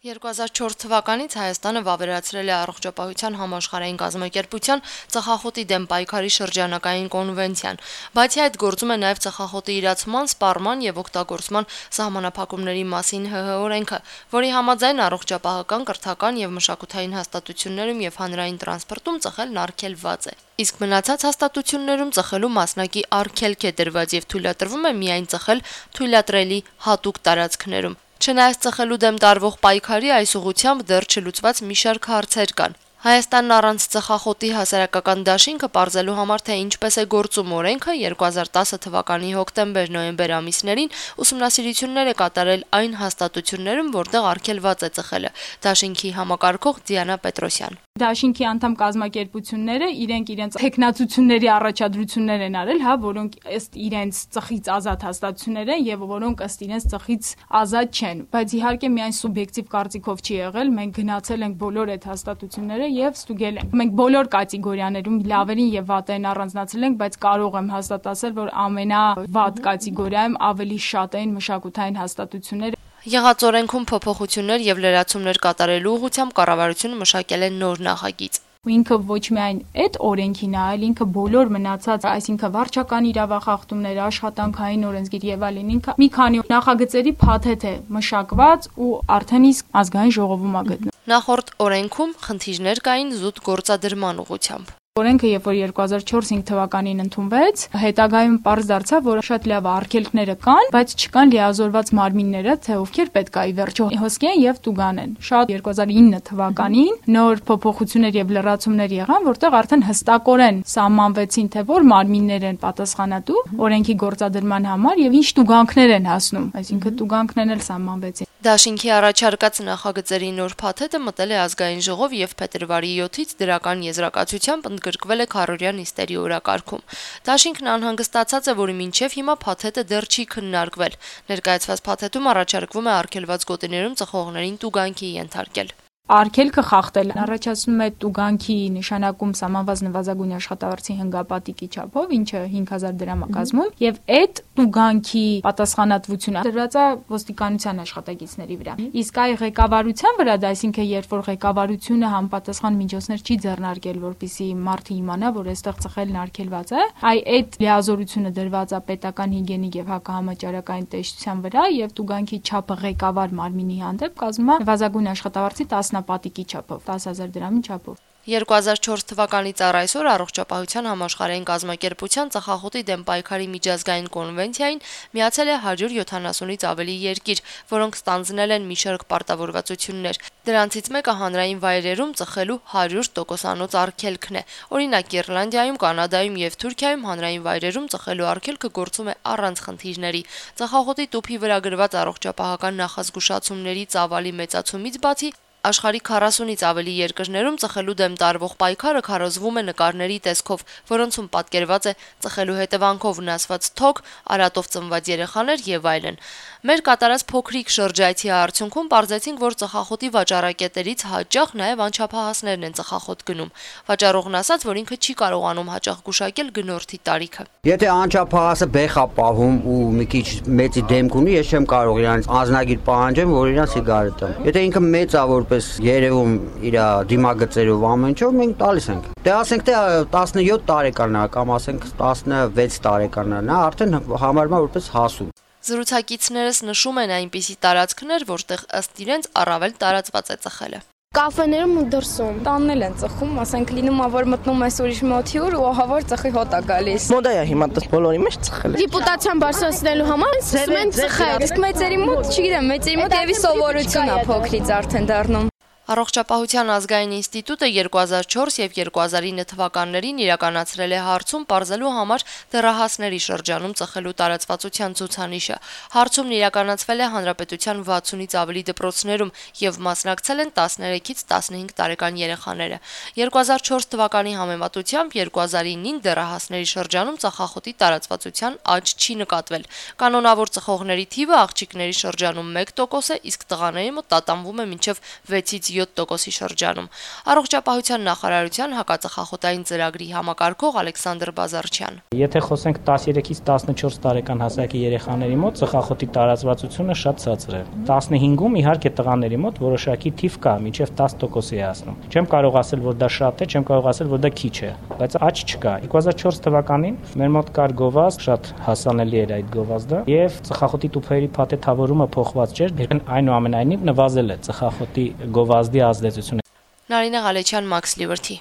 2004 թվականից Հայաստանը վավերացրել է առողջապահության համաշխարհային կազմակերպության ծխախոտի դեմ պայքարի շրջանակային կոնվենցիան, բացի այդ գործում է նաև ծխախոտի իրացման, սպառման եւ օգտագործման սահմանափակումների մասին ՀՀ օրենքը, որի համաձայն առողջապահական, կրթական եւ մշակութային հաստատություններում եւ հանրային տրանսպորտում ծխելն արգելված է։ Իսկ մնացած հաստատություններում ծխելու մասնակի արգելք է դրված եւ թույլատրվում է միայն ծխել թույլատրելի հատուկ տարածքներում։ Չնայած ծխելու դեմ տարվող պայքարի այս ուղղությամբ դեռ չլուծված մի շարք հարցեր կան։ Հայաստանն առանց ծխախոտի հասարակական դաշինքը պարզելու համար, թե ինչպես է գործում օրենքը, 2010 թվականի հոկտեմբեր-նոյեմբեր ամիսներին ուսումնասիրություններ է կատարել այն հաստատություններում, որտեղ արգելված է ծխելը։ Դաշինքի համակարգող Դիանա Պետրոսյան։ Դաշինքի անդամ կազմակերպությունները իրենց տեխնացությունների առաջադրություններ են արել, որոնք ըստ իրենց ծխից ազատ հաստատություններ են եւ որոնք ըստ իրենց ծխից ազատ չեն, բայց իհարկե միայն սուբյեկտիվ կարծիքով չի եղել, մենք գնացել ենք բոլոր այդ հաստատությունները եւ ստուգել ենք։ Մենք բոլոր կատեգորիաներում լավերին եւ վատերին առանձնացրել ենք, բայց կարող եմ հաստատ ասել, որ ամենավատ կատեգորիայում ավելի շատ են մշակութային հաստատությունները։ Եղած օրենքում փոփոխություններ եւ լրացումներ կատարելու ուղղությամբ կառավարությունը մշակել է նոր նախագիծ։ Ինքը ոչ միայն այդ օրենքին է, այլ ինքը բոլոր մնացած, այսինքն վարչական իրավախախտումներ, աշխատանքային օրենսգիր եւ այլն, ինքը մի քանի նախագծերի փաթեթ է մշակված ու արդեն իսկ ազգային ժողովում է գտնվում։ Նախորդ օրենքում խնդիրներ կային զուտ գործադրման ուղղությամբ։ Օրենքը, երբ որ 2004-5 թվականին ընդունվեց, հետագայում պարզ դարձավ, որ շատ լավ արգելքները կան, բայց չկան լիազորված մարմինները, թե ովքեր պետք է ի վերջո հոսքի են եւ տուգան են։ Շատ 2009 թվականին նոր փոփոխություններ եւ լրացումներ եղան, որտեղ արդեն հստակորեն սահմանվեցին, թե որ մարմիններ են պատասխանատու օրենքի գործադրման համար եւ ինչ տուգանքներ են հասնում, այսինքն տուգանքներն էլ սահմանվեցին։ Դաշինքի առաջարկած նախագծերի նոր փաթեթը մտել է ազգային ժողով եւ փետրվարի 7-ից դրական եզրակացությամբ ընդգրկվել է քառօրյա նիստերի օրակարգում։ Դաշինքն անհանգստացած է, որ մինչև հիմա փաթեթը դեռ չի քննարկվել։ Ներկայացված փաթեթում առաջարկվում է արգելված գոտիներում ծխողներին տուգանքի ենթարկել։ Արգելքը խախտել առաջացնում է տուգանքի նշանակում սահմանված նվազագույն աշխատավարձի հնգապատիկի չափով, ինչը 5000 դրամ է կազմում, եւ այդ տուգանքի պատասխանատվությունը դրված է ոստիկանության աշխատակիցների վրա։ Իսկ այ ղեկավարության վրա, այսինքն երբ որ ղեկավարությունը համապատասխան միջոցներ չի ձեռնարկել, որպեսզի մարդը իմանա, որ այստեղ ծխելն արգելված է, այդ լիազորությունը դրված է պետական հիգիենիկ եւ հակահամաճարակային տեսչության վրա եւ տուգանքի չափը ղեկավար մարմինի հանդեպ կազմում է նվազագույն աշխատավարձի 10 պատիկի չափով, 10000 դրամի չափով։ 2004 թվականից առ այսօր Առողջապահության համաշխարհային կազմակերպության ծխախոտի դեմ պայքարի միջազգային կոնվենցիային միացել է 170-ից ավելի երկիր, որոնք ստանձնել են մի շարք պարտավորվածություններ։ Դրանցից մեկը հանրային վայրերում ծխելու 100%-անոց արգելքն է։ Օրինակ Իռլանդիայում, Կանադայում եւ Թուրքիայում հանրային վայրերում ծխելու արգելքը գործում է առանց խնդիրների։ Ծխախոտի տուփի վրա գրված առողջապահական նախազգուշացումների ծավալի մեծացումից բացի աշխարհի 40-ից ավելի երկրներում ծխելու դեմ տարվող պայքարը քարոզվում է նկարների տեսքով, որոնցում պատկերված է ծխելու հետևանքով վնասված թոք, արատով ծնված երեխաներ եւ այլն։ Մեր կատարած փոքրիկ շրջայցի արդյունքում պարզեցինք, որ ծխախոտի վաճառակետերից հաճախ նաեւ անչափահասներն են ծխախոտ գնում։ Վաճառողն ասաց, որ ինքը չի կարողանում հաճախ գուշակել գնորդի տարիքը։ Եթե անչափահասը բեխ է պահում ու մի քիչ մեծի դեմք ունի, ես չեմ կարող իրանց անձնագիր պահանջեմ, որ իրան սիգարետ տամ։ Եթե ինքը մեծ է, որպես երևում իր դիմագծերով ամեն ինչով մենք տալիս ենք։ Դե ասենք թե 17 տարեկան է կամ ասենք 16 տարեկան է, նա արդեն համարվում է որպես հասու։ Զրուցակիցներս նշում են այնպիսի տարածքներ, որտեղ ըստ իրենց առավել տարածված է ծխելը։ Կաֆեներում ու դրսում տաննել են ծխում, ասենք լինում է որ մտնում ես ուրիշ մոթյուր ու ահավոր ծխի հոտ է գալիս։ Մոդա է հիմա դες բոլորի մեջ ծխել։ Ռեպուտացիան բարձրացնելու համար սկսում են ծխել։ Իսկ մեծերի մոտ, չգիտեմ, մեծերի մոտ եւի սովորություն է փոքրից արդեն դառնում։ Առողջապահության ազգային ինստիտուտը 2004 եւ 2009 թվականներին իրականացրել է հարցում պարզելու համար դեռահասների շրջանում ծխելու տարածվածության ցուցանիշը։ Հարցումն իրականացվել է հանրապետության 60-ից ավելի դպրոցներում եւ մասնակցել են 13-ից 15 տարեկան երեխաները։ 2004 թվականի համեմատությամբ 2009-ին դեռահասների շրջանում ծխախոտի տարածվածության աճ չի նկատվել։ Կանոնավոր ծխողների թիվը աղջիկների շրջանում 1% է, իսկ տղաների մոտ տատանվում է մինչև 6-ից 7%-ի շրջանում։ Առողջապահության նախարարության հակածխախոտային ծրագրի համակարգող Ալեքսանդր Բազարչյան. Եթե խոսենք 13-ից 14 տարեկան հասակի երեխաների մոտ ծխախոտի տարածվածությունը շատ ցածր է։ 15-ում իհարկե տղաների մոտ որոշակի թիվ կա, մինչև 10% է հասնում։ Չեմ կարող ասել, որ դա շատ է, չեմ կարող ասել, որ դա քիչ է, բայց աճ չկա։ 2004 թվականին մեր մոտ կար գովազդ, շատ հասանելի էր այդ գովազդը, եւ ծխախոտի տուփերի փաթեթավորումը փոխված չէր, այնուամենայնիվ նվազել է ծխախոտի գովազդի ազդեցությունը։ Նարինե Ղալեչյան, Մաքս Լիբերթի։